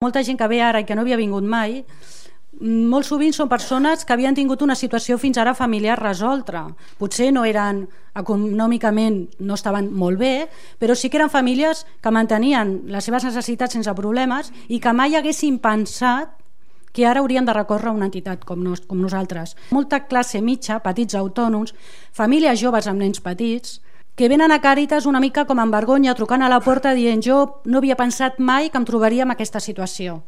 Molta gent que ve ara i que no havia vingut mai, molt sovint són persones que havien tingut una situació fins ara familiar resolta. Potser no eren econòmicament, no estaven molt bé, però sí que eren famílies que mantenien les seves necessitats sense problemes i que mai haguessin pensat que ara haurien de recórrer a una entitat com nosaltres. Molta classe mitja, petits autònoms, famílies joves amb nens petits, que venen a Càritas una mica com amb vergonya, trucant a la porta dient jo no havia pensat mai que em trobaria en aquesta situació.